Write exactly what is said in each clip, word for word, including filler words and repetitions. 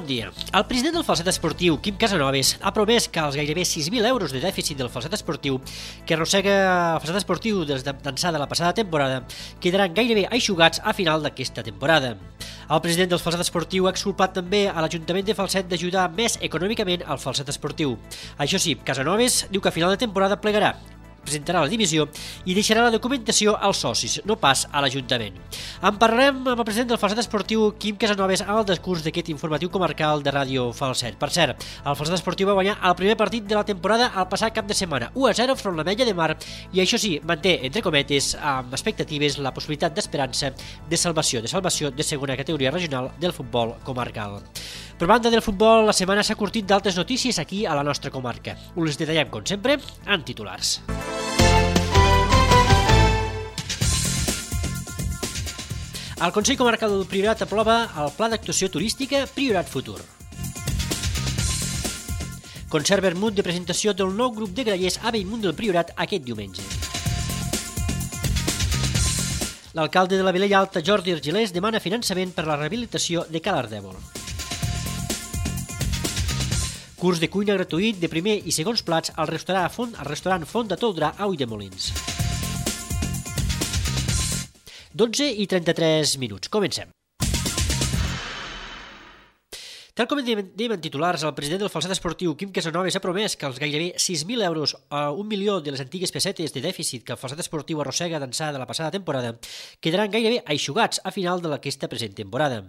dia. El president del Falset Esportiu, Quim Casanovas, ha promès que els gairebé sis mil euros de dèficit del Falset Esportiu que arrossega el Falset Esportiu des d'ençà de la passada temporada quedaran gairebé eixugats a final d'aquesta temporada. El president del Falset Esportiu ha exculpat també a l'Ajuntament de Falset d'ajudar més econòmicament al Falset Esportiu. Això sí, Casanovas diu que a final de temporada plegarà, presentarà la dimissió i deixarà la documentació als socis, no pas a l'Ajuntament. En parlarem amb el president del Falset Esportiu, Quim Casanovas, en el discurs d'aquest informatiu comarcal de Ràdio Falset. Per cert, el Falset Esportiu va guanyar el primer partit de la temporada el passat cap de setmana, u a zero front l'Ametlla de Mar, i això sí, manté, entre cometes, amb expectatives, la possibilitat d'esperança de salvació, de salvació de segona categoria regional del futbol comarcal. Per banda del futbol, la setmana s'ha curtit d'altres notícies aquí a la nostra comarca. Us les detallem, com sempre, en titulars. El Consell Comarcal del Priorat aprova el Pla d'Actuació Turística Priorat Futur. Concert vermut de presentació del nou grup de grallers a Bellmunt del Priorat aquest diumenge. L'alcalde de la Vilella Alta, Jordi Argilés, demana finançament per a la rehabilitació de Ca l'Ardèvol. Curs de cuina gratuït de primer i segons plats al restaurant Font, al restaurant Font de Toldrà a Ulldemolins. dotze i trenta-tres minuts. Comencem. Tal com dèiem en titulars, el president del Falset Esportiu, Quim Casanovas, ha promès que els gairebé sis mil euros a un milió de les antigues pessetes de dèficit que el Falset Esportiu arrossega d'ençà de la passada temporada quedaran gairebé eixugats a final d'aquesta present temporada.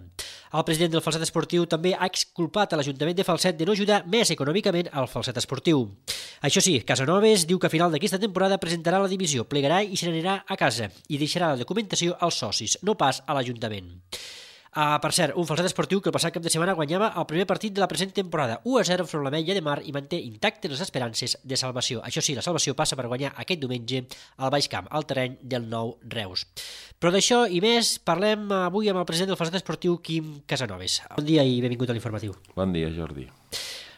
El president del Falset Esportiu també ha exculpat a l'Ajuntament de Falset de no ajudar més econòmicament al Falset Esportiu. Això sí, Casanovas diu que a final d'aquesta temporada presentarà la dimissió, plegarà i se n'anirà a casa i deixarà la documentació als socis, no pas a l'Ajuntament. Uh, per cert, un Falset Esportiu que el passat cap de setmana guanyava el primer partit de la present temporada, u a zero front l'Ametlla de Mar, i manté intactes les esperances de salvació. Això sí, la salvació passa per guanyar aquest diumenge al Baix Camp, al terreny del Nou Reus. Però d'això i més parlem avui amb el president del Falset Esportiu, Quim Casanovas. Bon dia i benvingut a l'informatiu. Bon dia, Jordi.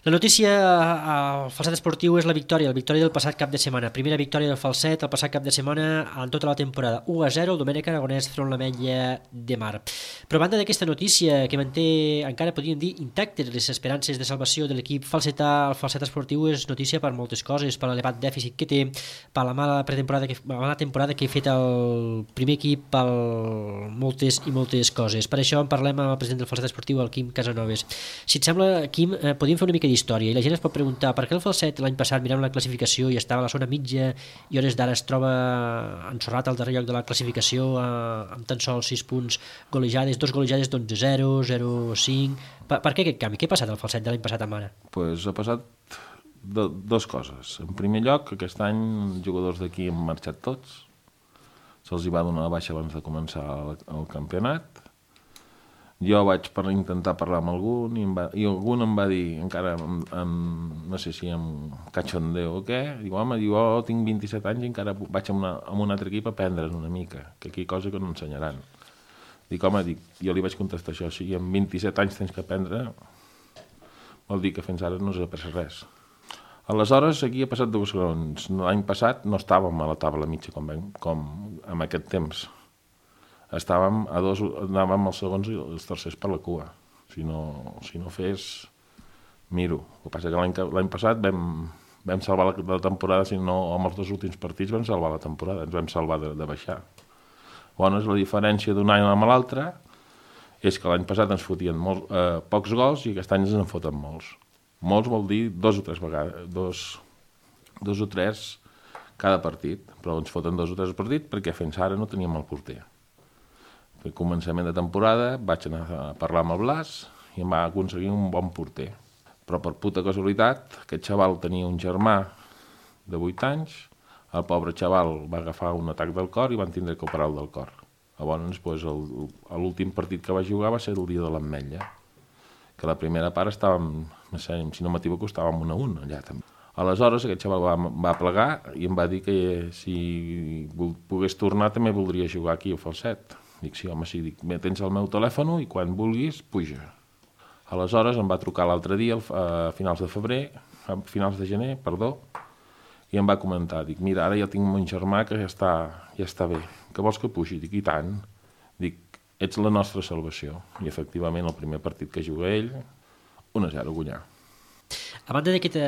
La notícia al Falset Esportiu és la victòria, la victòria del passat cap de setmana. Primera victòria del Falset el passat cap de setmana en tota la temporada. u a zero, el Domènec Aragonès front l'Ametlla de Mar. Però a banda d'aquesta notícia que manté, encara podríem dir, intactes les esperances de salvació de l'equip falsetà, el Falset Esportiu és notícia per moltes coses, per l'elevat dèficit que té, per la mala pretemporada que, la mala temporada que ha fet el primer equip, per moltes i moltes coses. Per això en parlem amb el president del Falset Esportiu, el Quim Casanovas. Si et sembla, Quim, eh, podríem fer una mica d'història i la gent es pot preguntar per què el Falset l'any passat mirant la classificació i estava a la zona mitja i hores d'ara es troba ensorrat al darrer lloc de la classificació eh, amb tan sols sis punts, golejades, dos golejades d'onze zero, zero cinc. Per, per què aquest canvi? Què ha passat al Falset de l'any passat amb ara? Pues ha passat do, dos coses. En primer lloc, aquest any els jugadors d'aquí han marxat tots, se'ls hi va donar la baixa abans de començar el, el campionat. Jo vaig per intentar parlar amb algun i, em va, i algun em va dir, encara amb, amb, no sé si amb cachondeo o què, diu, home, diu, oh, tinc vint-i-set anys i encara vaig amb, una, amb un altre equip a aprendre'n una mica, que aquí cosa que no ensenyaran. Dic, home, dic, jo li vaig contestar això, si amb vint-i-set anys tens que aprendre, vol dir que fins ara no s'ha après res. Aleshores, aquí ha passat dues coses. L'any passat no estàvem a la taula mitja com, com en aquest temps. Estàvem a dos, anàvem els segons i els tercers per la cua. Si no, si no fes, miro. El que passa que l'any, l'any passat vam, vam salvar la, la temporada, si no, amb els dos últims partits vam salvar la temporada, ens vam salvar de, de baixar. Llavors, la diferència d'un any amb l'altre és que l'any passat ens fotien molts, eh, pocs gols i aquest any ens en foten molts. Molts vol dir dos o tres vegades, dos, dos o tres cada partit, però ens foten dos o tres partits perquè fins ara no teníem el porter. Al començament de temporada vaig anar a parlar amb el Blas i em va aconseguir un bon porter. Però per puta casualitat, aquest xaval tenia un germà de vuit anys, el pobre xaval va agafar un atac del cor i van tindre que operar-lo del cor. Llavors, doncs, l'últim partit que va jugar va ser el dia de l'Ametlla, que la primera part estàvem, no sé, si no m'equivoco, estàvem un a un allà també. Aleshores, aquest xaval va, va plegar i em va dir que si pogués tornar també voldria jugar aquí al Falset. Dic, sí, home, sí, dic, tens el meu telèfon i quan vulguis, puja. Aleshores em va trucar l'altre dia, a finals de febrer, a finals de gener, perdó, i em va comentar, dic, mira, ara ja tinc mon germà que ja està, ja està bé, que vols que pugi? Dic, i tant. Dic, ets la nostra salvació. I efectivament el primer partit que juga ell un a zero, guanyar. A banda de que te...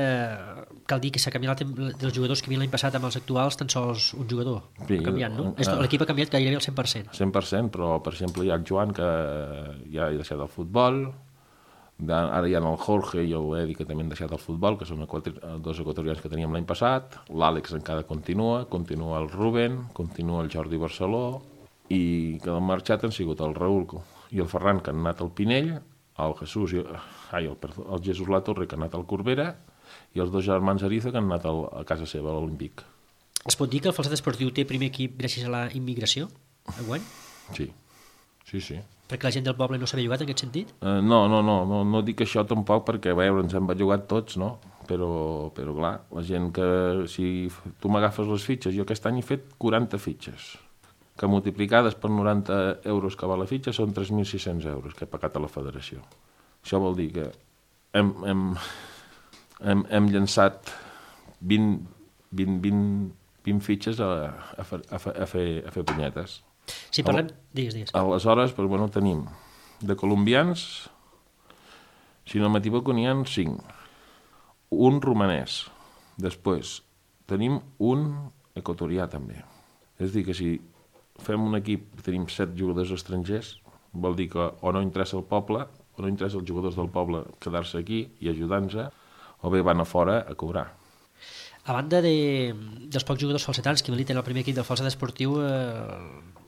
cal dir que s'ha canviat dels jugadors que havien l'any passat amb els actuals, tan sols un jugador Sí, ha canviat, no? eh, L'equip ha canviat gairebé al cent per cent. cent per cent, però, per exemple, hi ha el Joan, que ja ha deixat el futbol, ara hi ha el Jorge i l'Edi, que també han deixat el futbol, que són dos equatorians que teníem l'any passat, l'Àlex encara continua, continua el Rubén, continua el Jordi Barceló, i que han marxat han sigut el Raül i el Ferran, que han anat al Pinell, el Jesús i ai, el, perdó, el Jesús La Torre, que ha anat al Corbera, i els dos germans Ariza, que han anat al, a casa seva, a l'Olímpic. Es pot dir que el Falset Esportiu té primer equip gràcies a la immigració, enguany? Sí, sí, sí. Perquè la gent del poble no s'havia jugat en aquest sentit? Uh, no, no, no, no, no dic això tampoc perquè, a veure, ens hem bellugat tots, no? Però, però clar, la gent que, si tu m'agafes les fitxes, jo aquest any he fet quaranta fitxes, que multiplicades per noranta euros que val la fitxa són tres mil sis-cents euros que he pagat a la federació. Això vol dir que hem, hem, hem, hem llançat vint, vint, vint, vint fitxes a, a, fer, a, fer, a, fer, a fer punyetes. Si parlem... Digues, digues. Aleshores, però, bueno, tenim de colombians, si no m'equivoco, n'hi ha cinc. Un romanès. Després tenim un equatorià, també. És a dir, que si fem un equip, tenim set jugadors estrangers, vol dir que o no interessa el poble, o no interessa els jugadors del poble quedar-se aquí i ajudar-nos, o bé van a fora a cobrar. A banda de, dels pocs jugadors falsetans que militen al primer equip del Falset Esportiu, eh,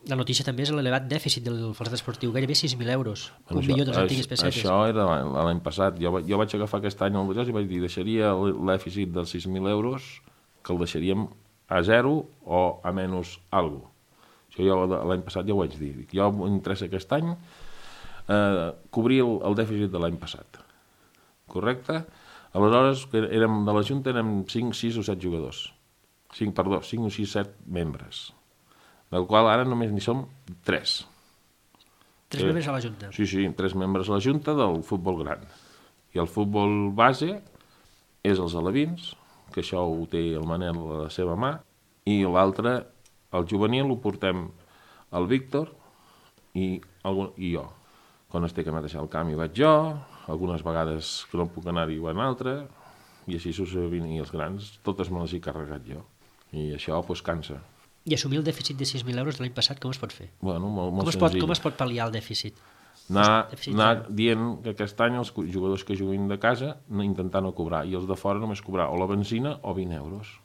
la notícia també és l'elevat dèficit del Falset Esportiu, gairebé sis mil euros, Bueno, un això- milió de les això- antigues pessetes. Això era l'any l'any passat. Jo, va- jo vaig agafar aquest any el Ballós i vaig dir deixaria el dèficit dels sis mil euros, que el deixaríem a zero o a menys alguna cosa. Això jo l'any passat ja ho vaig dir. Dic, jo m'interessa aquest any eh, cobrir el, el dèficit de l'any passat. Correcte? Aleshores, que érem, de la Junta érem cinc, sis o set jugadors. cinc, perdó, cinc o sis, set membres. Del qual ara només n'hi som tres. Tres eh, membres a la Junta. Sí, sí, tres membres a la Junta del futbol gran. I el futbol base és els alevins, que això ho té el Manel a la seva mà, i l'altre, el juvenil, ho portem el Víctor i, algun, i jo. Quan es té que anar a deixar el camp hi vaig jo, algunes vegades que no puc anar-hi va un altre, i així successivament, i els grans, totes me les he carregat jo. I això, doncs, cansa. I assumir el dèficit de sis mil euros de l'any passat, com es pot fer? Bueno, molt, molt Com es, pot, senzill. com es pot pal·liar el dèficit? Anar, Dèficit anar zero. dient que aquest any els jugadors que juguin de casa no intentar no cobrar, i els de fora només cobrar o la benzina o vint euros.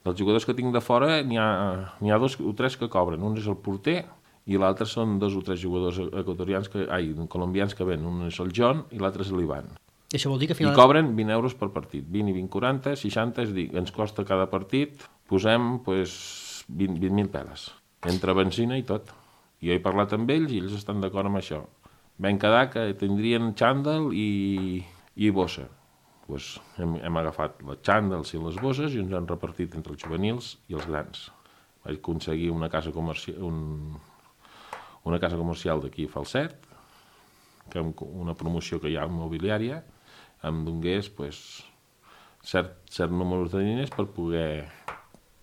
Dels jugadors que tinc de fora n'hi ha, n'hi ha dos o tres que cobren. Un és el porter i l'altre són dos o tres jugadors equatorians, que, ai, colombians que ven. Un és el John i l'altre és l'Ivan. I això vol dir que al I final... cobren vint euros per partit. vint i vint, quaranta, seixanta, és a dir, ens costa cada partit, posem pues, vint mil peles, entre benzina i tot. Jo he parlat amb ells i ells estan d'acord amb això. Vam quedar que tindrien xàndal i, i bossa. Pues hem, hem agafat les xàndals i les bosses i ens han repartit entre els juvenils i els grans. Vaig aconseguir una casa comercial, un, una casa comercial d'aquí a Falset, que amb una promoció que hi ha immobiliària, em donés pues, cert, cert número de diners per poder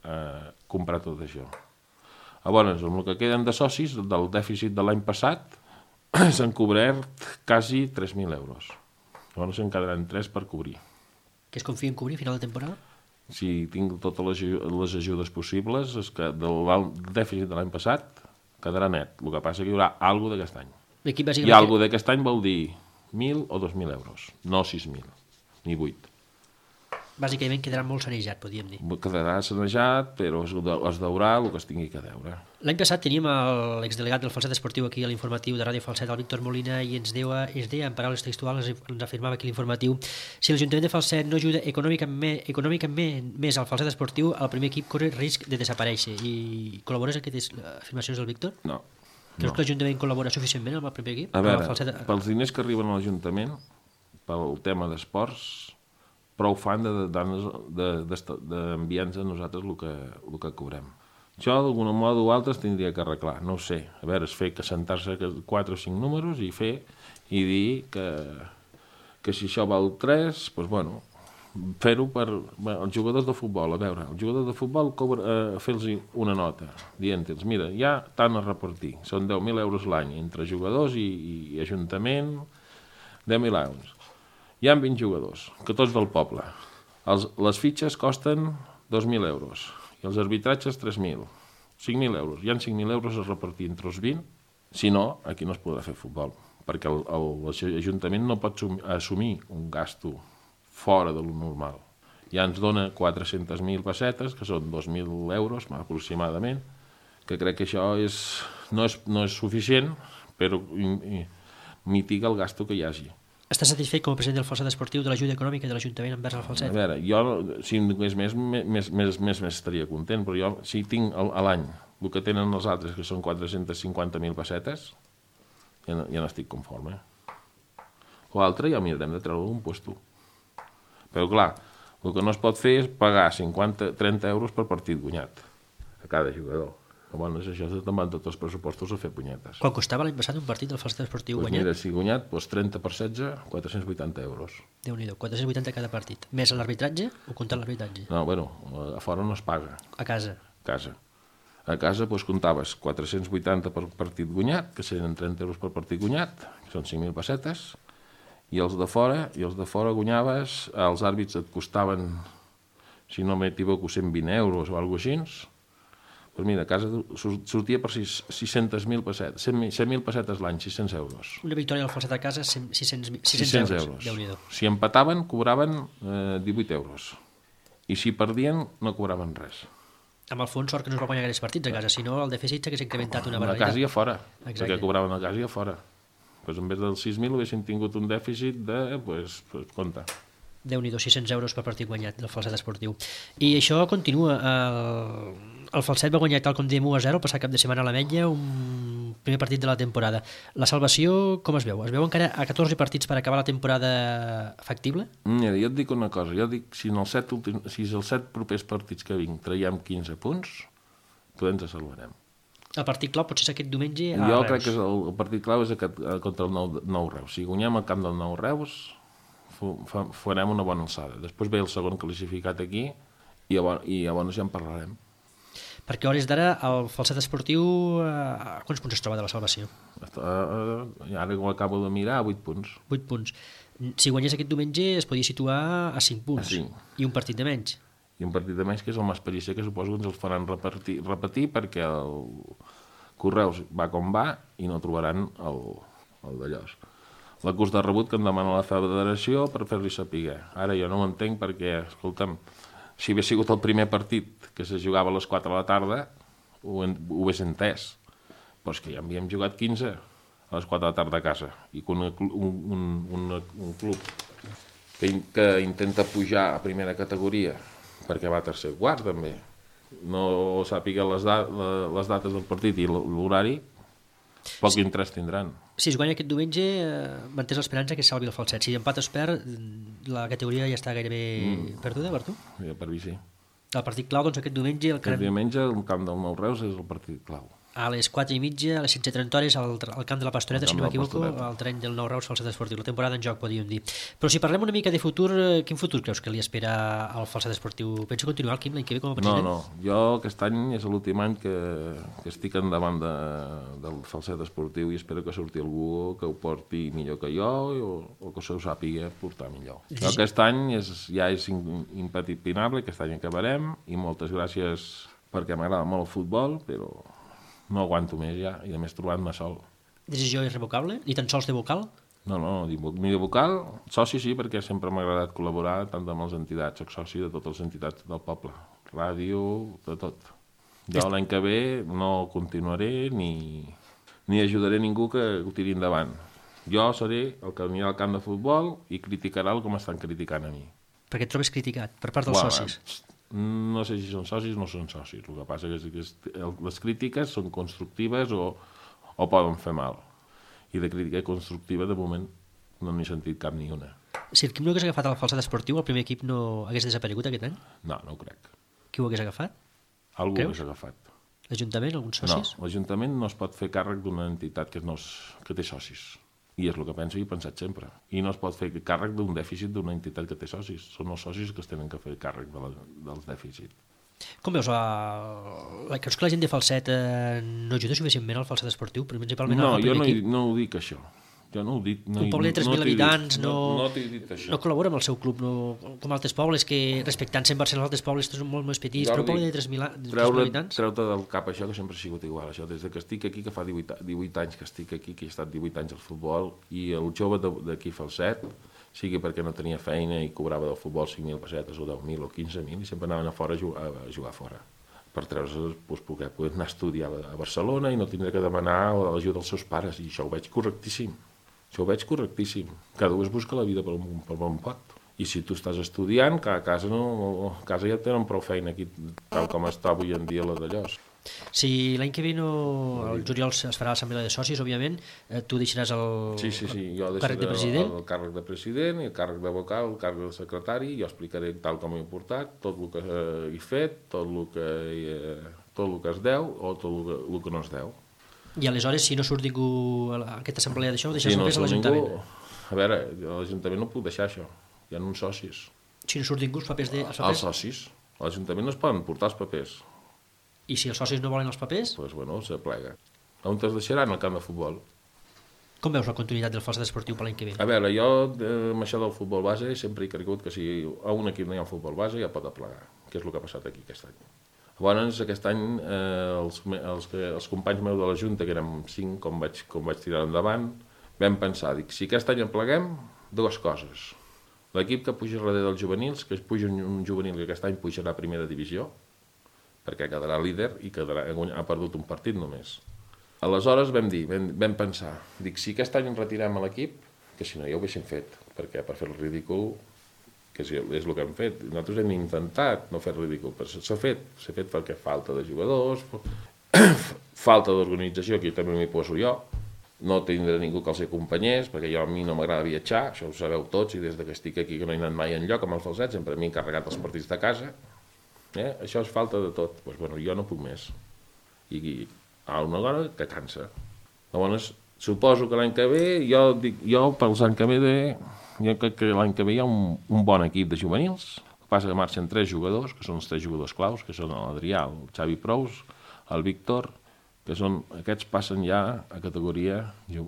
eh, comprar tot això. Llavors, amb el que queden de socis, del dèficit de l'any passat, s'han cobert quasi tres mil euros. Llavors en quedaran tres per cobrir. Que es confia en cobrir a final de temporada? Si tinc totes les, les ajudes possibles, és que del dèficit de l'any passat quedarà net. El que passa és que hi haurà alguna d'aquest any. L'equip I bàsicament... alguna d'aquest any vol dir mil o dos mil euros, no sis mil, ni vuit. Bàsicament quedarà molt sanejat, podríem dir. Quedarà sanejat, però es, es deurà el que es tingui que deure. L'any passat teníem l'exdelegat del Falset Esportiu aquí a l'informatiu de Ràdio Falset, el Víctor Molina, i ens deia, ens deia en paraules textuals, ens afirmava aquí l'informatiu, si l'Ajuntament de Falset no ajuda econòmicament, econòmicament més al Falset Esportiu, el primer equip corre risc de desaparèixer. I col·labores amb aquestes afirmacions del Víctor? No. Creus no. que l'Ajuntament col·labora suficientment amb el primer equip? A veure, Falset... pels diners que arriben a l'Ajuntament, pel tema d'esports, prou fan d'enviar-nos a nosaltres el que, el que cobrem. Això, d'alguna moda o altra, es tindria que arreglar, no ho sé. A veure, és fer que sentar-se quatre o cinc números i fer i dir que, que si això val tres, doncs, bueno, fer-ho per bé, els jugadors de futbol. A veure, els jugadors de futbol cobra, eh, fer-los una nota, dient-los, mira, hi ha tant a repartir, són deu mil euros l'any, entre jugadors i, i ajuntament, deu mil euros. Hi ha vint jugadors, que tots del poble. Els, les fitxes costen dos mil euros i els arbitratges tres mil. cinc mil euros. Hi ha cinc mil euros a repartir entre els vint. Si no, aquí no es podrà fer futbol, perquè l'Ajuntament no pot assumir un gasto fora de lo normal. Ja ens dona quatre-centes mil pessetes, que són dos mil euros aproximadament, que crec que això és, no, és, no és suficient, però mitiga el gasto que hi hagi. Estàs satisfet com a president del Falset Esportiu de l'ajuda econòmica de l'Ajuntament envers el Falset? A veure, jo, si en tingués més, més, més, més, més estaria content, però jo, si tinc a l'any el que tenen els altres, que són quatre-centes cinquanta mil pessetes, ja no, ja no estic conforme. L'altre ja mirarem de treure un puesto. Però clar, el que no es pot fer és pagar cinquanta, trenta euros per partit guanyat a cada jugador. Llavors això te'n van tots els pressupostos a fer punyetes. Quan costava l'any passat un partit del Falset Esportiu pues guanyat? Mira, si guanyat, doncs trenta per setze, quatre-cents vuitanta euros. Déu-n'hi-do, quatre-cents vuitanta cada partit. Més l'arbitratge o comptant l'arbitratge? No, bueno, a fora no es paga. A casa? A casa. A casa doncs, comptaves quatre-cents vuitanta per partit guanyat, que serien trenta euros per partit guanyat, que són cinc mil pessetes, i els de fora, i els de fora guanyaves, els àrbits et costaven, si no m'equivoco, cent vint euros o alguna cosa així. Doncs mira, a casa sortia per sis-centes mil pessetes, cent mil pessetes l'any, sis-cents euros. Una victòria del Falset a casa, sis-cents euros. euros. Si empataven, cobraven eh, divuit euros. I si perdien, no cobraven res. Amb el fons, sort que no es va guanyar aquests partits a casa, si no el dèficit s'hagués incrementat una barbaritat. A casa i a fora, exacte. Perquè cobraven a casa i a fora. Pues en vez dels sis mil haguessin tingut un dèficit de, pues, pues compte. Déu-n'hi-do, sis-cents euros per partit guanyat del Falset Esportiu. I això continua. El, el Falset va guanyar, tal com diem, u a zero el passat cap de setmana a l'Ametlla, un primer partit de la temporada. La salvació, com es veu? Es veu encara a catorze partits per acabar la temporada factible? Mira, jo et dic una cosa, jo dic, si en els set, últims, si els set propers partits que vinc traiem quinze punts, podem ens salvarem. El partit clau potser és aquest diumenge a jo Reus. Crec que el, el partit clau és aquest, contra el nou, nou Reus. Si guanyem al camp del nou Reus, farem una bona alçada. Després ve el segon classificat aquí i llavors ja en parlarem. Perquè a hores d'ara el Falset Esportiu a quants punts es troba de la salvació? Ara ho acabo de mirar, a vuit punts. vuit punts. Si guanyés aquest diumenge es podia situar a cinc punts. A cinc. I un partit de menys. I un partit de menys que és el Masperícia, que suposo que ens els faran repetir, repetir perquè el Correus va com va i no trobaran el, el d'allòs. La curs de rebut que em demana la federació per fer-li saber. Ara jo no ho entenc perquè, escolta'm, si hagués sigut el primer partit que se jugava a les quatre de la tarda, ho, ho hagués entès. Però és que ja havíem jugat quinze a les quatre de la tarda a casa. I que un, un, un, un club que, que intenta pujar a primera categoria, perquè va a tercer quart també, no sàpiga les, da les dates del partit i l'horari, poc interès tindran. Si es guanya aquest diumenge, eh, mantens l'esperança que salvi el Falset. Si empat es perd, la categoria ja està gairebé mm. perduda per tu? Ja, per mi sí. El partit clau, doncs aquest diumenge... El aquest diumenge el camp del Nou Reus és el partit clau. A les quatre i mitja, a les setze trenta hores, al, al camp de la Pastoreta, si no m'equivoco, al terreny del Nou Reus Falset Esportiu. La temporada en joc, podríem dir. Però si parlem una mica de futur, quin futur creus que li espera al Falset Esportiu? Pensa continuar el Quim l'any que ve com a president? No, no. Jo aquest any és l'últim any que, que estic endavant de, del Falset Esportiu i espero que surti algú que ho porti millor que jo o, o que se ho sàpiga portar millor. Sí. Jo aquest any és, ja és impepinable, aquest any acabarem i moltes gràcies perquè m'agrada molt el futbol, però no aguanto més ja, i a més trobant-me sol. Decisió irrevocable? Ni tan sols de vocal? No, no, ni de vocal, soci sí, perquè sempre m'ha agradat col·laborar tant amb les entitats, soc soci de totes les entitats del poble, ràdio, de tot. Jo l'any que ve no continuaré ni, ni ajudaré ningú que ho tiri endavant. Jo seré el que anirà al camp de futbol i criticarà el com estan criticant a mi. Perquè et trobes criticat per part dels Uau, socis? No sé si són socis o no són socis. El que passa és que les crítiques són constructives o, o poden fer mal. I de crítica constructiva, de moment, no n'he sentit cap ni una. Si el Quim no hagués agafat el Falset Esportiu, el primer equip no hagués desaparegut aquest any? No, no ho crec. Qui ho hagués agafat? Algú ho hagués agafat. L'Ajuntament, alguns socis? No, l'Ajuntament no es pot fer càrrec d'una entitat que, no és, que té socis. I és el que penso i he pensat sempre. I no es pot fer càrrec d'un dèficit d'una entitat que té socis. Són els socis que es tenen que fer càrrec de la, dels dèficits. Com veus? La... Creus que la gent de Falset eh, no ajuda suficientment al Falset Esportiu? Principalment no, al jo no, equip? no ho dic això. Jo no ho dic. No, un poble de tres mil no t'he dit- habitants no, No, no t'he dit això. no col·labora amb el seu club, no, com altres pobles, que respectant-se en Barcelona, altres pobles són molt més petits, Jo però un poble dic, de tres mil a- de tres mil Treure, habitants... treu-te del cap això, que sempre ha sigut igual. Això, des de que estic aquí, que fa divuit, divuit anys que estic aquí, que he estat divuit anys al futbol, i el jove de- d'aquí Falset, sigui perquè no tenia feina i cobrava del futbol cinc mil pessetes o deu mil o quinze mil, i sempre anaven a fora a jugar, a jugar fora. Per treure's, doncs, poder, poder anar a estudiar a Barcelona i no tindre que demanar l'ajuda dels seus pares, i això ho veig correctíssim. Això ho veig correctíssim. Cada un es busca la vida per on, per on pot. I si tu estàs estudiant, que a casa, no, a casa ja tenen prou feina aquí, tal com està avui en dia la d'allòs. Si l'any que ve no, el juliol es farà l'assemblea de socis, òbviament, eh, tu deixaràs el, Sí, sí, sí, jo el càrrec de deixaré president. el, el càrrec de president i el càrrec de vocal, el càrrec de secretari, jo explicaré tal com he portat, tot el que he fet, tot el que, he, tot el que es deu o tot el que, el que no es deu. I aleshores, si no surt ningú a aquesta assemblea d'això, ho deixes Si no només a surt l'Ajuntament. ningú, a veure, a l'Ajuntament no puc deixar això, hi ha uns socis. Si no surt ningú, els papers... De, els Els papers? socis, a l'Ajuntament no es poden portar els papers, I si els socis no volen els papers, doncs pues, bueno, se plega. On es deixaran? Al camp de futbol. com veus la continuïtat del Falset Esportiu per l'any que ve? A veure, jo eh, amb això del futbol base sempre he cregut que si a un equip no hi ha futbol base ja pot aplegar, que és el que ha passat aquí aquest any. Llavors, aquest any, eh, els, els, els companys meus de la Junta, que érem cinc, com vaig, com vaig tirar endavant, vam pensar, dic, si aquest any en pleguem, dues coses. L'equip que puja darrere dels juvenils, que es puja un, un juvenil que aquest any pujarà a primera divisió, perquè quedarà líder i quedarà, ha perdut un partit només. Aleshores vam dir, vam, vam pensar, dic, si aquest any en retirem a l'equip, que si no ja ho haguéssim fet, perquè per fer el ridícul, que és, és el que hem fet, nosaltres hem intentat no fer el ridícul, però s'ha fet, s'ha fet perquè falta de jugadors, falta d'organització, que també m'hi poso jo, no tindré ningú que els acompanyés, perquè jo a mi no m'agrada viatjar, això ho sabeu tots, i des que estic aquí que no he anat mai enlloc amb el Falset, sempre m'he encarregat els partits de casa, eh? Això és falta de tot, doncs, bueno, jo no puc més, i, i a una hora que cansa. Llavors, suposo que l'any que ve, jo, dic, jo pels anys que ve, jo crec que l'any que ve hi ha un, un bon equip de juvenils, el que passa que marxen tres jugadors, que són els tres jugadors claus, que són l'Adrià, el Xavi Prous, el Víctor, que són, aquests passen ja a categoria eh,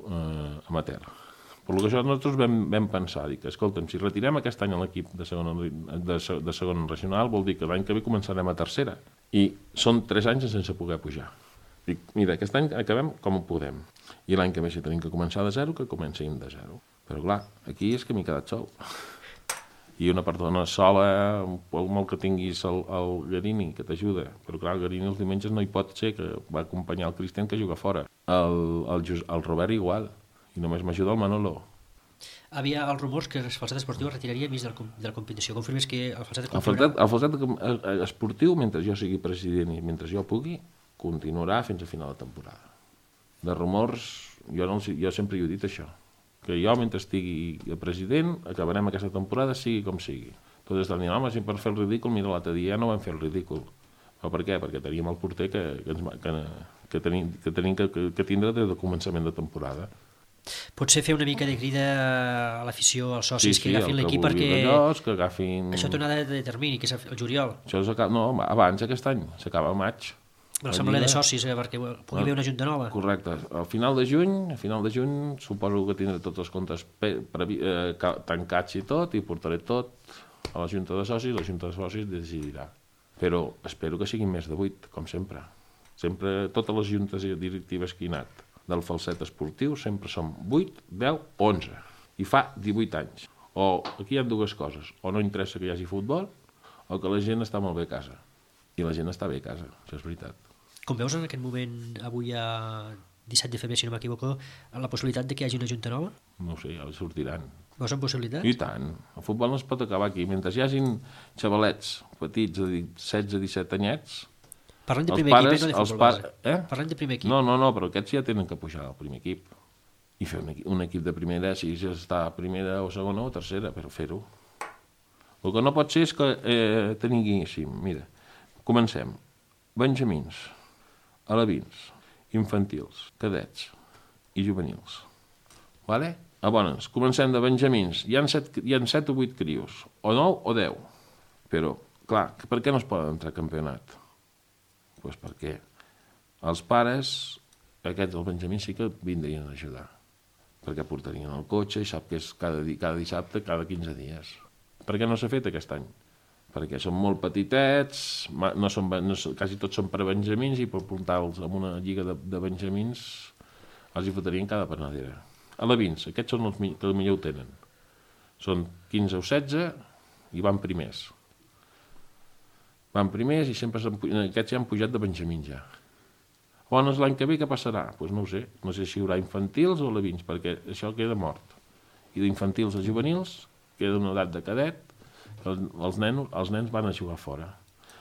amateur. Per lo que això nosaltres vam, vam pensar, dic, escolta'm, si retirem aquest any l'equip de segona, de, de segona regional, vol dir que l'any que ve començarem a tercera. I són tres anys sense poder pujar. Dic, mira, aquest any acabem com ho podem. I l'any que ve, si tenim que començar de zero, que comencem de zero. Però clar, aquí és que m'he quedat sol. I una persona sola, molt que tinguis el, el Garini, que t'ajuda. Però clar, el Garini els diumenges no hi pot ser, que va acompanyar el Cristian que juga fora. El, el, el Robert igual. I només m'ajuda el Manolo. Havia els rumors que el Falset Esportiu es retiraria mig de la competició. Confirmes que el Falset El Falset, el Falset Esportiu, mentre jo sigui president i mentre jo pugui, continuarà fins a final de temporada. De rumors, jo, no, jo sempre hi he dit això, que jo mentre estigui president acabarem aquesta temporada sigui com sigui. Tot és del dir, home, si per fer el ridícul, mira, l'altre dia no vam fer el ridícul. Però per què? Perquè teníem el porter que, que, ens, que, que tenim, que, tenim que, que, que tindre des del començament de temporada. Potser fer una mica de crida a l'afició, als socis, sí, sí, que agafin l'equip que perquè... Allòs, que agafin... Això té una data de termini, que és el juliol. Això acaba... No, abans, aquest any, s'acaba a maig. L'assemblea de socis, eh, perquè pugui haver una junta nova. Correcte. Al final de juny, a final de juny, suposo que tindré tots els comptes previ, eh, tancats i tot, i portaré tot a la junta de socis, la junta de socis decidirà. Però espero que siguin més de vuit, com sempre. Sempre, totes les juntes directives que he anat del Falset Esportiu sempre són vuit, deu, onze. I fa divuit anys. O aquí hi ha dues coses. O no interessa que hi hagi futbol, o que la gent està molt bé a casa. I la gent està bé a casa, això és veritat. Com veus en aquest moment, avui a disset de febrer, si no m'equivoco, la possibilitat de que hi hagi una junta nova? No ho sé, ja sortiran. Veus en possibilitats? I tant. El futbol no es pot acabar aquí. Mentre hi hagin xavalets petits de setze a disset anyets... Parlem de primer pares, equip, eh, no de futbol pa... base. Eh? Parlem de primer equip. No, no, no, però aquests ja tenen que pujar al primer equip. I fer un equip, un equip de primera, si ja està a primera o segona o tercera, però fer-ho. El que no pot ser és que eh, tinguéssim, mira, comencem. Benjamins, alevins, infantils, cadets i juvenils. Vale? A bones, comencem de benjamins. Hi ha set, hi ha set o vuit crios, o nou o deu. Però, clar, per què no es poden entrar a campionat? Doncs pues perquè els pares, aquests del Benjamí, sí que vindrien a ajudar. perquè portarien el cotxe i sap que és cada, cada dissabte, cada quinze dies. Per què no s'ha fet aquest any? Perquè són molt petitets, no són, no, quasi tots són per benjamins i per portar-los en una lliga de, de benjamins els hi fotrien cada panadera. Alevins, aquests són els que millor ho tenen. Són quinze o setze i van primers. Van primers i sempre aquests ja han pujat de benjamins ja. Llavors l'any que ve què passarà? Doncs pues no ho sé, no sé si hi haurà infantils o alevins, perquè això queda mort. I d'infantils a juvenils queda una edat de cadet, els nens, els nens van a jugar fora,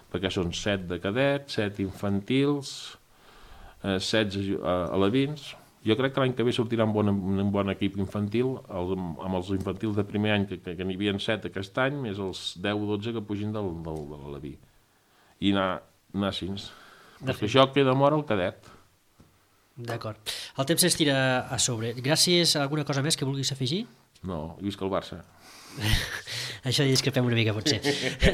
perquè són set de cadet, set infantils, eh, setze alevins. Jo crec que l'any que ve sortirà un bon, un bon equip infantil, el, amb els infantils de primer any, que, que, que n'hi havia set aquest any, més els deu o dotze que pugin del, del, de l'aleví. I anar, anar així. Perquè això queda mort al cadet. D'acord. El temps s'estira a sobre. Gràcies. Alguna cosa més que vulguis afegir? No, i visca el Barça. Això discrepem una mica, potser.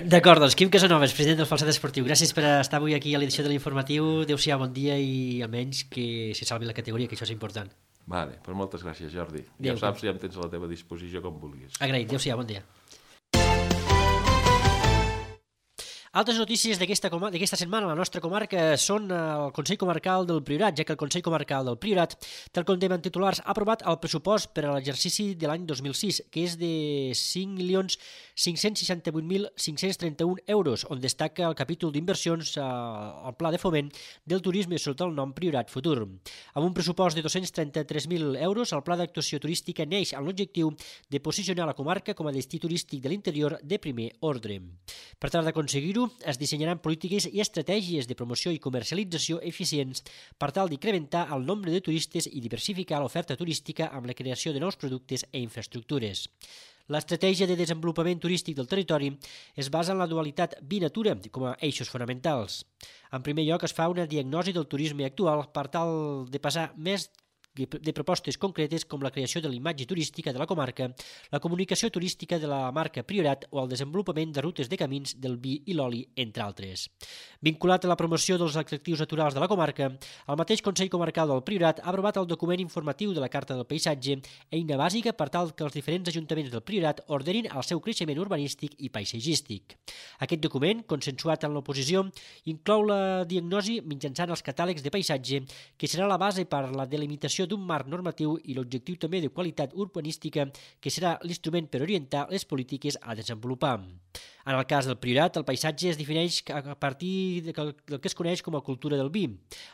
D'acord, doncs, Quim Casanovas, president del Falset Esportiu, gràcies per estar avui aquí a l'edició de l'Informatiu. Adéu-siau, bon dia i almenys que se salvi la categoria, que això és important. Vale, pues moltes gràcies, Jordi. Adéu, ja saps, ja em tens a la teva disposició com vulguis. Agraït, adéu-siau, bon dia. Altres notícies d'aquesta setmana a la nostra comarca són el Consell Comarcal del Priorat, ja que el Consell Comarcal del Priorat, tal com deien titulars, ha aprovat el pressupost per a l'exercici de l'any dos mil sis, que és de cinc milions cinc-cents seixanta-vuit mil cinc-cents trenta-un euros, on destaca el capítol d'inversions al Pla de Foment del Turisme sota el nom Priorat Futur. Amb un pressupost de dos-cents trenta-tres mil euros, el Pla d'Actuació Turística neix amb l'objectiu de posicionar la comarca com a destí turístic de l'interior de primer ordre. Per tal d'aconseguir-ho, es dissenyaran polítiques i estratègies de promoció i comercialització eficients per tal d'incrementar el nombre de turistes i diversificar l'oferta turística amb la creació de nous productes i infraestructures. L'estratègia de desenvolupament turístic del territori es basa en la dualitat vi-natura com a eixos fonamentals. En primer lloc, es fa una diagnosi del turisme actual per tal de passar més de propostes concretes com la creació de la imatge turística de la comarca, la comunicació turística de la marca Priorat o el desenvolupament de rutes de camins del vi i l'oli, entre altres. Vinculat a la promoció dels atractius naturals de la comarca, el mateix Consell Comarcal del Priorat ha aprovat el document informatiu de la Carta del Paisatge, eina bàsica per tal que els diferents ajuntaments del Priorat ordenin el seu creixement urbanístic i paisatgístic. Aquest document, consensuat en l'oposició, inclou la diagnosi mitjançant els catàlegs de paisatge, que serà la base per la delimitació d'un marc normatiu i l'objectiu també de qualitat urbanística, que serà l'instrument per orientar les polítiques a desenvolupar. En el cas del Priorat, el paisatge es defineix a partir del que es coneix com a cultura del vi.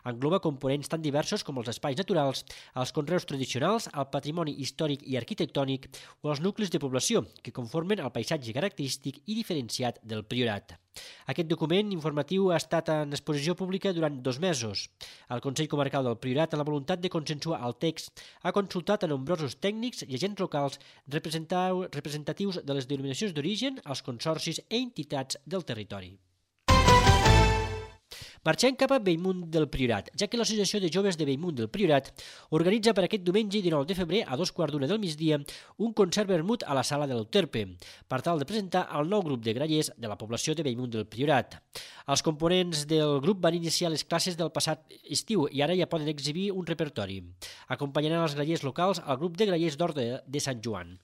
Engloba components tan diversos com els espais naturals, els conreus tradicionals, el patrimoni històric i arquitectònic o els nuclis de població, que conformen el paisatge característic i diferenciat del Priorat. Aquest document informatiu ha estat en exposició pública durant dos mesos. El Consell Comarcal del Priorat, amb la voluntat de consensuar el text, ha consultat a nombrosos tècnics i agents locals representatius de les denominacions d'origen, els consorcis i entitats del territori. Marxem cap a Bellmunt del Priorat, ja que l'Associació de Joves de Bellmunt del Priorat organitza per aquest diumenge dinou de febrer a dos quarts d'una del migdia un concert vermut a la sala de l'Euterpe, per tal de presentar el nou grup de grallers de la població de Bellmunt del Priorat. Els components del grup van iniciar les classes del passat estiu i ara ja poden exhibir un repertori. Acompanyaran els grallers locals al grup de grallers d'Horta de Sant Joan.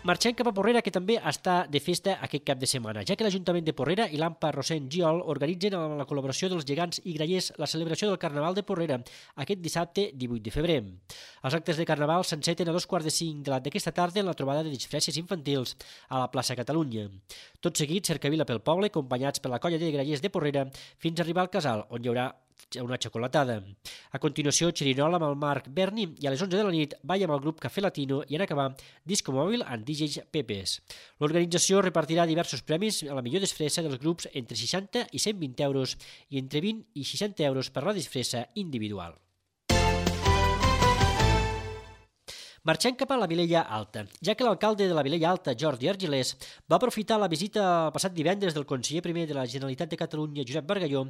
Marxem cap a Porrera, que també està de festa aquest cap de setmana, ja que l'Ajuntament de Porrera i l'Ampa Rosent Giol organitzen amb la col·laboració dels gegants i grallers la celebració del Carnaval de Porrera aquest dissabte divuit de febrer. Els actes de Carnaval s'enceten a dos quarts de cinc de d'aquesta tarda en la trobada de disfresses infantils a la plaça Catalunya. Tot seguit, cercavila pel poble, acompanyats per la colla de grallers de Porrera, fins a arribar al casal, on hi haurà una xocolatada. A continuació, xerinola amb el Marc Berni i a les onze de la nit balla amb el grup Café Latino i en acabar disco mòbil amb D Js Pepes. L'organització repartirà diversos premis a la millor disfressa dels grups entre seixanta i cent vint euros i entre vint i seixanta euros per la disfressa individual. Marxem cap a la Vilella Alta, ja que l'alcalde de la Vilella Alta, Jordi Argilés, va aprofitar la visita el passat divendres del conseller primer de la Generalitat de Catalunya, Josep Bargalló,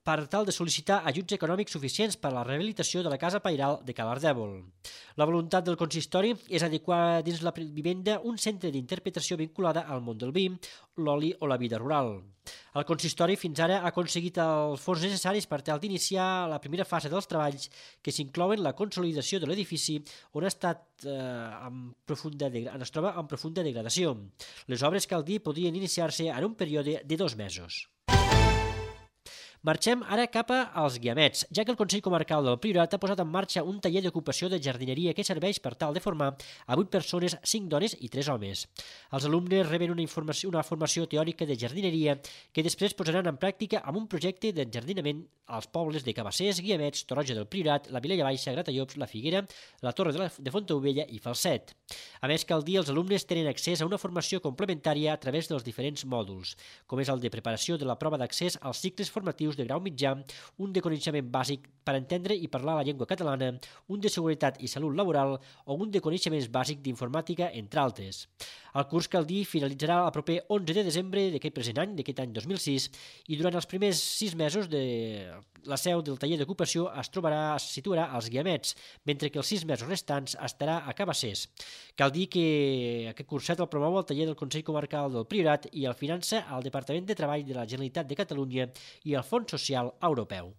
per tal de sol·licitar ajuts econòmics suficients per a la rehabilitació de la casa pairal de Calardèvol. La voluntat del consistori és adequar dins la vivenda un centre d'interpretació vinculada al món del vi, l'oli o la vida rural. El consistori fins ara ha aconseguit els fons necessaris per tal d'iniciar la primera fase dels treballs, que s'inclouen la consolidació de l'edifici on ha estat eh, en profunda es troba en profunda degradació. Les obres, cal dir, podrien iniciar-se en un període de dos mesos. Marxem ara cap als Guiamets, ja que el Consell Comarcal del Priorat ha posat en marxa un taller d'ocupació de jardineria que serveix per tal de formar a vuit persones, cinc dones i tres homes. Els alumnes reben una, informació, una formació teòrica de jardineria que després posaran en pràctica amb un projecte d'enjardinament als pobles de Cabassers, Guiamets, Torroja del Priorat, la Vilella Baixa, Gratallops, la Figuera, la Torre de, la, de Fontaubella i Falset. A més, cal dir, els alumnes tenen accés a una formació complementària a través dels diferents mòduls, com és el de preparació de la prova d'accés als cicles formatius de grau mitjà, un de coneixement bàsic per entendre i parlar la llengua catalana, un de seguretat i salut laboral o un de coneixements bàsics d'informàtica, entre altres. El curs, cal dir, finalitzarà el proper onze de desembre d'aquest present any, d'aquest any dos mil sis, i durant els primers sis mesos de la seu del taller d'ocupació es trobarà, es situarà als Guiamets, mentre que els sis mesos restants estarà a Cabassers. Cal dir que aquest curset el promou el taller del Consell Comarcal del Priorat i el finança el Departament de Treball de la Generalitat de Catalunya i el Fons Social Europeu.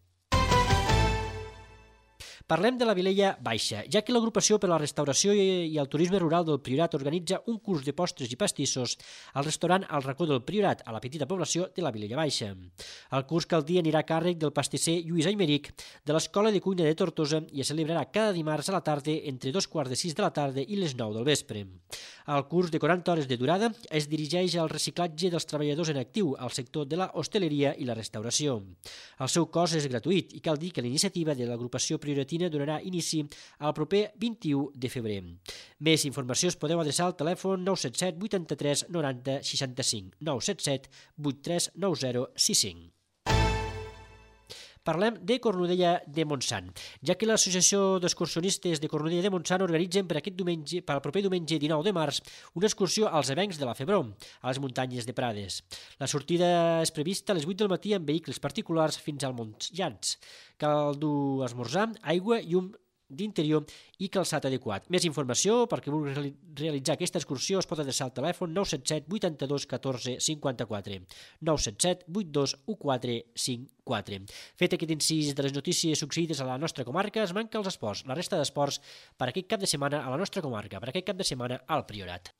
Parlem de la Vilella Baixa, ja que l'Agrupació per a la Restauració i el Turisme Rural del Priorat organitza un curs de postres i pastissos al restaurant El Racó del Priorat, a la petita població de la Vilella Baixa. El curs, cal dir, anirà a càrrec del pastisser Lluís Aymeric de l'Escola de Cuina de Tortosa i es celebrarà cada dimarts a la tarda entre dos quarts de sis de la tarda i les nou del vespre. El curs de quaranta hores de durada es dirigeix al reciclatge dels treballadors en actiu al sector de la hostaleria i la restauració. El seu cost és gratuït i cal dir que l'iniciativa de l'agrupació prioratina donarà inici al proper vint-i-u de febrer. Més informació es podeu adreçar al telèfon nou set set vuitanta-tres noranta seixanta-cinc, nou set set vuitanta-tres noranta seixanta-cinc. Parlem de Cornudella de Montsant, ja que l'Associació d'Excursionistes de Cornudella de Montsant organitzen per aquest diumenge, per al proper diumenge dinou de març, una excursió als avencs de la Febró, a les muntanyes de Prades. La sortida és prevista a les vuit del matí amb vehicles particulars fins al Montsllans. Cal dur esmorzar, aigua i un d'interior i calçat adequat. Més informació perquè vulgui realitzar aquesta excursió es pot adreçar al telèfon nou set set vuitanta-dos catorze cinquanta-quatre, nou set set vuitanta-dos catorze cinquanta-quatre. Fet aquest incís de les notícies succeïdes a la nostra comarca, es manca els esports, la resta d'esports per aquest cap de setmana a la nostra comarca, per aquest cap de setmana al Priorat.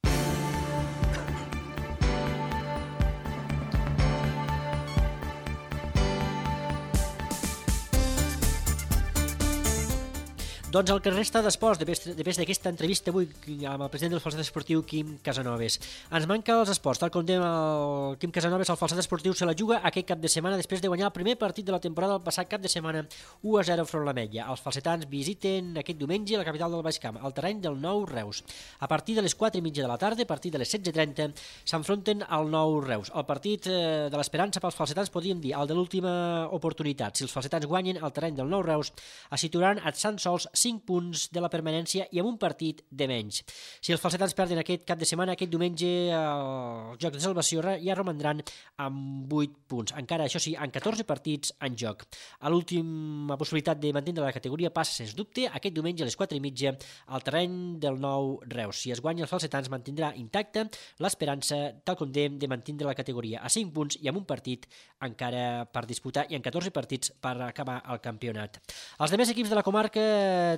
Doncs el que resta d'esports, després d'aquesta entrevista avui amb el president del Falset Esportiu, Quim Casanovas. Ens manca els esports, tal com dèiem el Quim Casanovas, el Falset Esportiu se la juga aquest cap de setmana després de guanyar el primer partit de la temporada el passat cap de setmana u a zero front l'Ametlla. Els falsetans visiten aquest diumenge la capital del Baix Camp, al terreny del Nou Reus. A partir de les quatre i mitja de la tarda, a partir de les setze trenta, s'enfronten al Nou Reus. El partit de l'esperança pels falsetans, podríem dir, el de l'última oportunitat. Si els falsetans guanyen al terreny del Nou Reus, es situaran a tan sols cinc punts de la permanència i amb un partit de menys. Si els falsetans perden aquest cap de setmana, aquest diumenge el joc de salvació ja romandran amb vuit punts. Encara, això sí, amb catorze partits en joc. A l'última possibilitat de mantenir la categoria passa, sens dubte, aquest diumenge a les quatre i mitja al terreny del Nou Reus. Si es guanya els falsetans, mantindrà intacta l'esperança, tal com dèiem, de mantenir la categoria a cinc punts i amb un partit encara per disputar i en catorze partits per acabar el campionat. Els demés equips de la comarca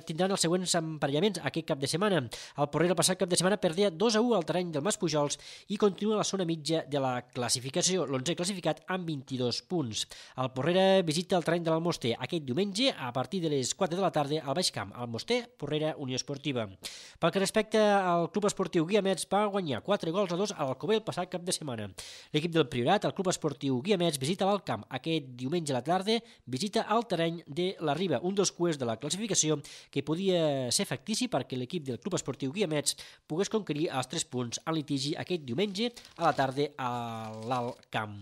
tindran els següents emparellaments aquest cap de setmana. El Porrera el passat cap de setmana perdia dos a u al terreny del Mas Pujols i continua a la zona mitja de la classificació, l'onzè classificat amb vint-i-dos punts. El Porrera visita el terreny de l'Almoster aquest diumenge a partir de les quatre de la tarda al Baix Camp. Almoster, Porrera, Unió Esportiva. Pel que respecta al Club Esportiu Guiamets, va guanyar quatre gols a dos a l'Alcover el passat cap de setmana. L'equip del Priorat, el Club Esportiu Guiamets, visita l'Alt Camp aquest diumenge a la tarda, visita el terreny de la Riba, un dels cuers de la classificació que podia ser factici perquè l'equip del Club Esportiu Guiamets pogués conquerir els tres punts en litigi aquest diumenge a la tarda a l'Alt Camp.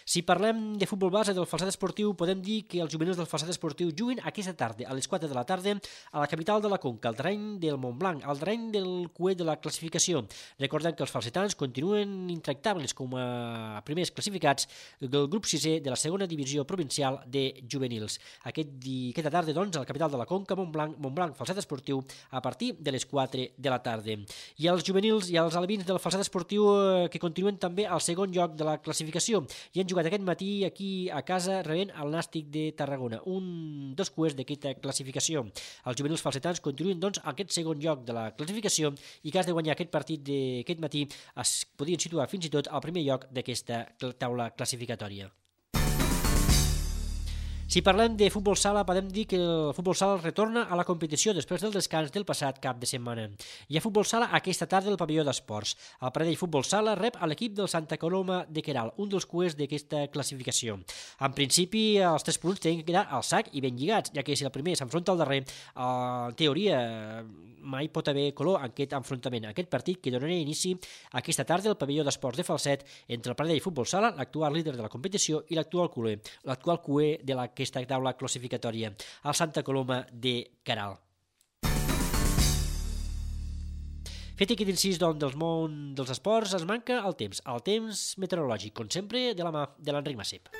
Si parlem de futbol base del Falset Esportiu, podem dir que els juvenils del Falset Esportiu juguen aquesta tarda, a les quatre de la tarda, a la capital de la Conca, al terreny del Montblanc, al terreny del cué de la classificació. Recordem que els falsetans continuen intractables com a primers classificats del grup sisè de la segona divisió provincial de juvenils. Aquest di... Aquesta tarda, doncs, a la capital de la Conca, Montblanc, Montblanc, Falset Esportiu, a partir de les quatre de la tarda. I els juvenils i els alevins del Falset Esportiu eh, que continuen també al segon lloc de la classificació i han jugat aquest matí aquí a casa rebent el Nàstic de Tarragona, un dels cuers d'aquesta classificació. Els juvenils falsetans continuen, doncs, a aquest segon lloc de la classificació i que has de guanyar aquest partit d'aquest matí es podien situar fins i tot al primer lloc d'aquesta taula classificatòria. Si parlem de futbol sala, podem dir que el futbol sala retorna a la competició després del descans del passat cap de setmana. Hi ha futbol sala aquesta tarda al pavelló d'esports. El Pradell Futbol Sala rep a l'equip del Santa Coloma de Queralt, un dels cuers d'aquesta classificació. En principi, els tres punts tenen que quedar al sac i ben lligats, ja que si el primer s'enfronta al darrer, en teoria mai pot haver color en aquest enfrontament. Aquest partit que donarà inici aquesta tarda al pavelló d'esports de Falset entre el Pradell Futbol Sala, l'actual líder de la competició, i l'actual cuer, l'actual cuer de la aquesta taula classificatòria, al Santa Coloma de Queralt. Fet aquest incís doncs, del món dels esports, es manca el temps, el temps meteorològic, com sempre, de la mà de l'Enric Massip.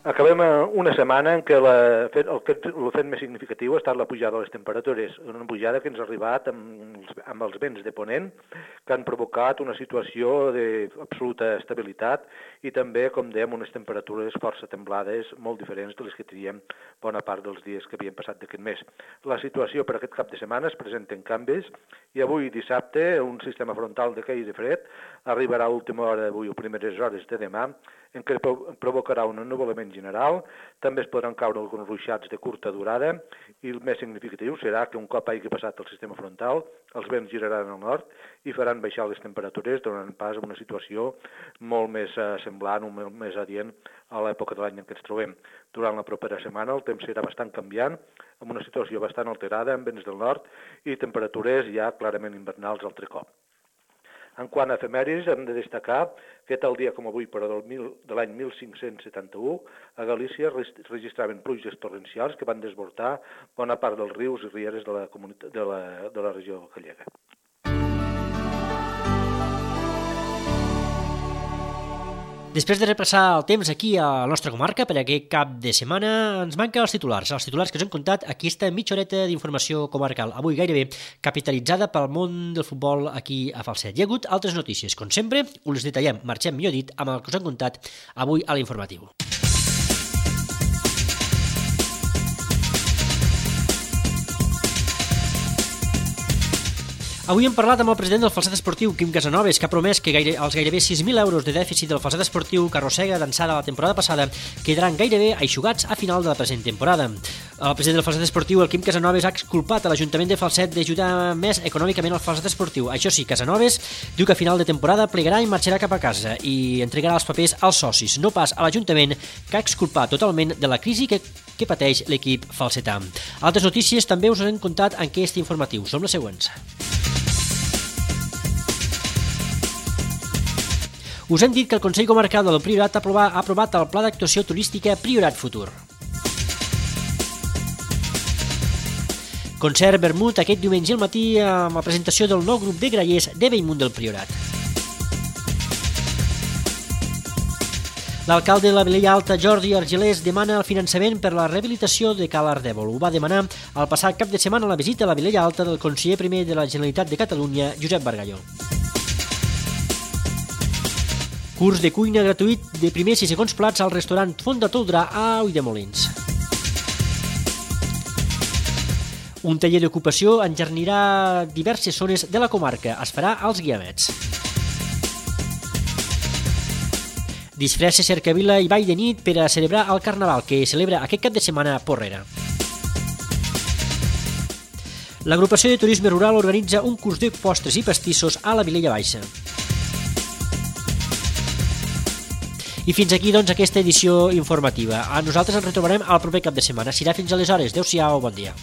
Acabem una setmana en què la, el, fet, el fet més significatiu ha estat la pujada de les temperatures, una pujada que ens ha arribat amb, amb els vents de ponent que han provocat una situació d'absoluta estabilitat i també, com dèiem, unes temperatures força templades molt diferents de les que teníem bona part dels dies que havien passat d'aquest mes. La situació per aquest cap de setmana es presenten canvis i avui dissabte un sistema frontal de caire fred arribarà a última hora d'avui o primeres hores de demà en què provocarà un ennuvolament general, també es podran caure alguns ruixats de curta durada i el més significatiu serà que un cop hagi passat el sistema frontal, els vents giraran al nord i faran baixar les temperatures, donant pas a una situació molt més eh, semblant o molt més adient a l'època de l'any en què ens trobem. Durant la propera setmana el temps serà bastant canviant, amb una situació bastant alterada amb vents del nord i temperatures ja clarament invernals altre cop. En quant a efemèrides, hem de destacar que tal dia com avui, però del mil, de l'any mil cinc-cents setanta-u, a Galícia registraven pluges torrencials que van desbordar bona part dels rius i rieres de la, de la, de la regió gallega. Després de repassar el temps aquí a la nostra comarca per aquest cap de setmana, ens manca els titulars, els titulars que us hem contat aquesta mitja horeta d'informació comarcal, avui gairebé capitalitzada pel món del futbol aquí a Falset. Hi ha hagut altres notícies, com sempre, us les detallem, marxem millor dit, amb el que us hem contat avui a l'informatiu. Avui hem parlat amb el president del Falset Esportiu, Quim Casanovas, que ha promès que gaire, els gairebé sis mil euros de dèficit del Falset Esportiu que arrossega d'ençà de la temporada passada quedaran gairebé aixugats a final de la present temporada. El president del Falset Esportiu, el Quim Casanovas, ha exculpat a l'Ajuntament de Falset d'ajudar més econòmicament al Falset Esportiu. Això sí, Casanovas diu que a final de temporada plegarà i marxarà cap a casa i entregarà els papers als socis, no pas a l'Ajuntament, que ha exculpat totalment de la crisi que, que pateix l'equip falsetà. Altres notícies també us hem contat en aquest informatiu. Som les següents. Us hem dit que el Consell Comarcal del Priorat ha aprovat, ha aprovat el Pla d'Actuació Turística Priorat Futur. Concert Vermut aquest diumenge al matí amb la presentació del nou grup de grallers de Bellmunt del Priorat. L'alcalde de la Vilella Alta, Jordi Argelers, demana el finançament per la rehabilitació de Cal Ardèvol. Ho va demanar el passat cap de setmana a la visita a la Vilella Alta del conseller primer de la Generalitat de Catalunya, Josep Bargalló. Curs de cuina gratuït de primers i segons plats al restaurant Font de Toldrà a Ulldemolins. Un taller d'ocupació enjardinarà diverses zones de la comarca. Es farà als Guiamets. Disfresses, cercavila i ball de nit per a celebrar el Carnaval, que celebra aquest cap de setmana a Porrera. L'agrupació de turisme rural organitza un curs de postres i pastissos a la Vilella Baixa. I fins aquí, doncs, aquesta edició informativa. A nosaltres ens retrobarem al proper cap de setmana. Serà fins aleshores. Adéu-siau, bon dia.